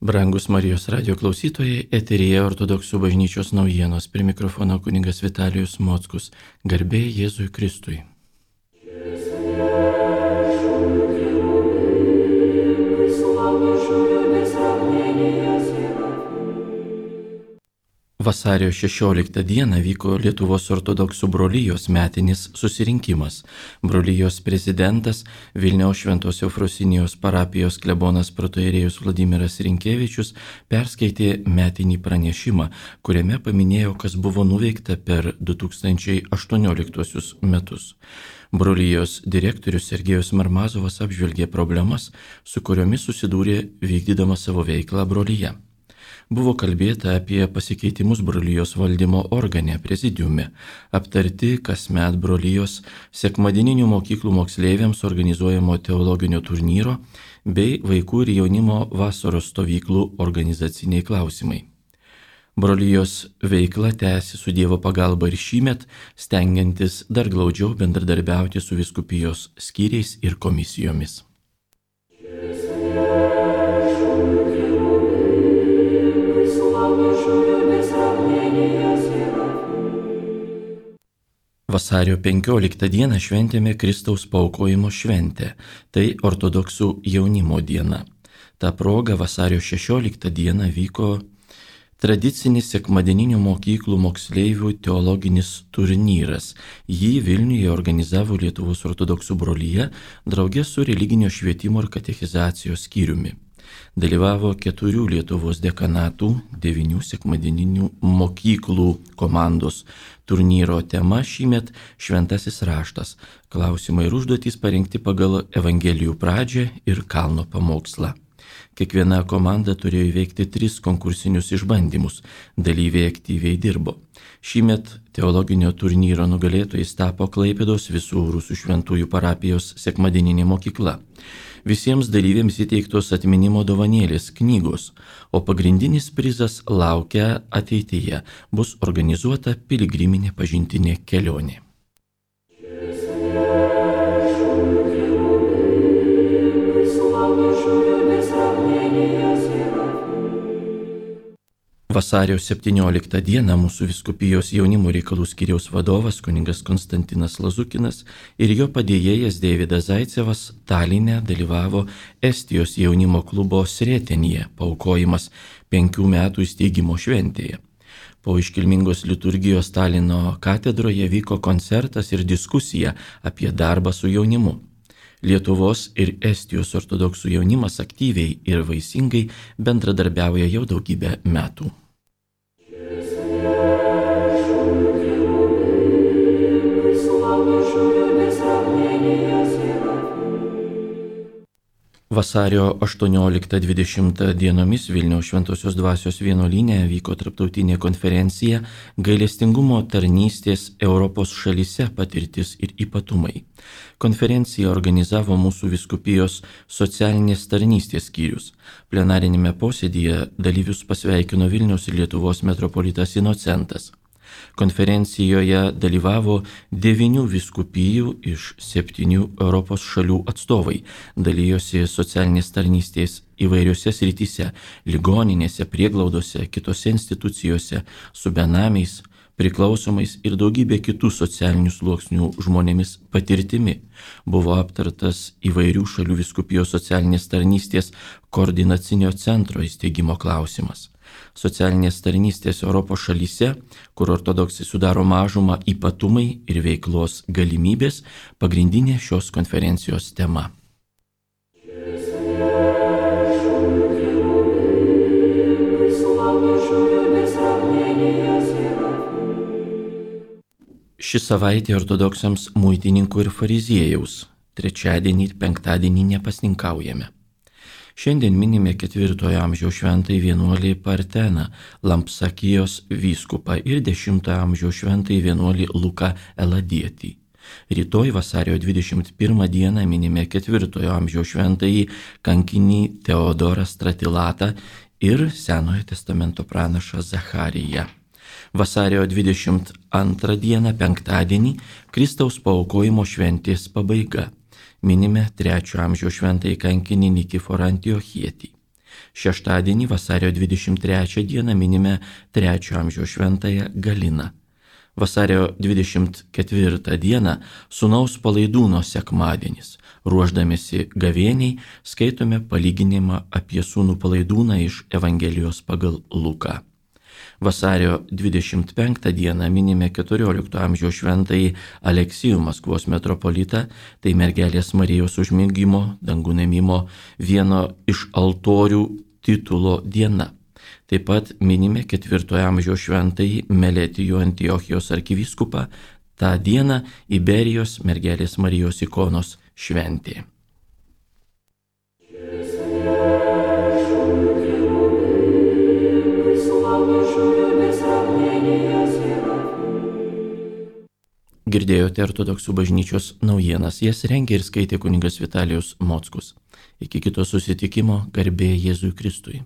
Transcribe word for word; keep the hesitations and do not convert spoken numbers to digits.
Brangus Marijos radio klausytojai, eteryje Ortodoksų bažnyčios naujienos, prie mikrofono kunigas Vitalijus Mockus. Garbė Jėzui Kristui. Vasario šešioliktą dieną vyko Lietuvos ortodoksų brolijos metinis susirinkimas. Brolijos prezidentas Vilniaus Šventos Eufrosinijos parapijos klebonas protoierėjus Vladimiras Rinkevičius perskaitė metinį pranešimą, kuriame paminėjo, kas buvo nuveikta per du tūkstančiai aštuonioliktuosius metus. Brolijos direktorius Sergejus Marmazovas apžvelgė problemas, su kuriomis susidūrė vykdydama savo veiklą brolyje. Buvo kalbėta apie pasikeitimus brolijos valdymo organe prezidiume, aptarti kasmet brolijos sekmadieninių mokyklų moksleiviams organizuojamo teologinio turnyro bei vaikų ir jaunimo vasaros stovyklų organizaciniai klausimai. Brolijos veikla tęsi su Dievo pagalba ir šįmet, stengiantis dar glaudžiau bendradarbiauti su vyskupijos skyriais ir komisijomis. Vasario penkioliktą dieną šventėme Kristaus paaukojimo šventę, tai ortodoksų jaunimo diena. Ta proga vasario šešioliktą dieną vyko tradicinis sekmadieninių mokyklų moksleivių teologinis turnyras. Jį Vilniuje organizavo Lietuvos ortodoksų brolija drauge su religinio švietimo ir katechizacijos skyriumi. Dalyvavo keturių Lietuvos dekanatų, devynių sekmadieninių mokyklų komandos. Turnyro tema šįmet Šventasis raštas. Klausimai ir užduotys parinkti pagal Evangelijų pradžią ir kalno pamokslą. Kiekviena komanda turėjo įveikti tris konkursinius išbandymus. Dalyviai aktyviai dirbo. Šįmet teologinio turnyro nugalėtojais tapo Klaipėdos Visų Rusų Šventųjų parapijos sekmadieninė mokykla. Visiems dalyviams įteiktos atminimo dovanėlės knygos, o pagrindinis prizas laukia ateityje. Bus organizuota piligriminė pažintinė kelionė. Vasario septynioliktą dieną mūsų vyskupijos jaunimo reikalų skyriaus vadovas kunigas Konstantinas Lazukinas ir jo padėjėjas Deividas Zaicevas Taline dalyvavo Estijos jaunimo klubo Sretenyje paaukojimas penkių metų įsteigimo šventėje. Po iškilmingos liturgijos Talino katedroje vyko koncertas ir diskusija apie darbą su jaunimu. Lietuvos ir Estijos ortodoksų jaunimas aktyviai ir vaisingai bendradarbiauja jau daugybę metų. Vasario aštuonioliktą dvidešimtą dienomis Vilniaus Šventosios Dvasios vienuolyne vyko tarptautinė konferencija Gailestingumo tarnystės Europos šalyse patirtis ir ypatumai. Konferenciją organizavo mūsų vyskupijos socialinės tarnystės skyrius. Plenarinėme posėdyje dalyvius pasveikino Vilniaus ir Lietuvos metropolitas Inocentas. Konferencijoje dalyvavo devynių vyskupijų iš septynių Europos šalių atstovai, dalyjosi socialinės tarnystės įvairiose srityse, ligoninėse, prieglaudose, kitose institucijose, su benamiais, priklausomais ir daugybė kitų socialinių sluoksnių žmonėmis patirtimi. Buvo aptartas įvairių šalių vyskupijos socialinės tarnystės koordinacinio centro įsteigimo klausimas. Socialinės tarnystės Europos šalyse, kur ortodoksai sudaro mažumą, ypatumai ir veiklos galimybės, pagrindinė šios konferencijos tema. Ši savaitė ortodoksams muitininkų ir fariziejaus. Trečiadienį ir penktadienį nepasninkaujame. Šiandien minime ketvirtojo amžiaus šventąjį vienuolį Parteną, Lampsakijos vyskupą ir dešimtojo amžiaus šventąjį vienuolį Luką Eladietį. Rytoj vasario dvidešimt pirmą dieną minime ketvirtojo amžiaus šventąjį kankinį Teodorą Stratilatą ir Senojo testamento pranašą Zachariją. Vasario dvidešimt antrą dieną penktadienį Kristaus paaukojimo šventės pabaiga. Minime trečiojo amžiaus šventąjį kankinį Nikiforą Antiochietį. Šeštadienį vasario dvidešimt trečią dieną minime trečiojo amžiaus šventąją Galiną. Vasario dvidešimt ketvirtą dieną Sūnaus palaidūno sekmadienis. Ruoždamėsi gavėniai skaitome palyginimą apie sūnų palaidūną iš Evangelijos pagal Luką. Vasario dvidešimt penktą dieną minime keturiolikto amžiaus šventąjį Aleksijų Maskvos metropolitą, tai mergelės Marijos užmigimo, dangun ėmimo vieno iš altorių titulo diena. Taip pat minime ketvirtojo amžiaus šventąjį Meletijų Antiochijos arkivyskupą, tą dieną Iberijos mergelės Marijos ikonos šventė. Girdėjote Ortodoksų bažnyčios naujienas, jas rengė ir skaitė kunigas Vitalijus Mockus. Iki kito susitikimo, garbė Jėzui Kristui.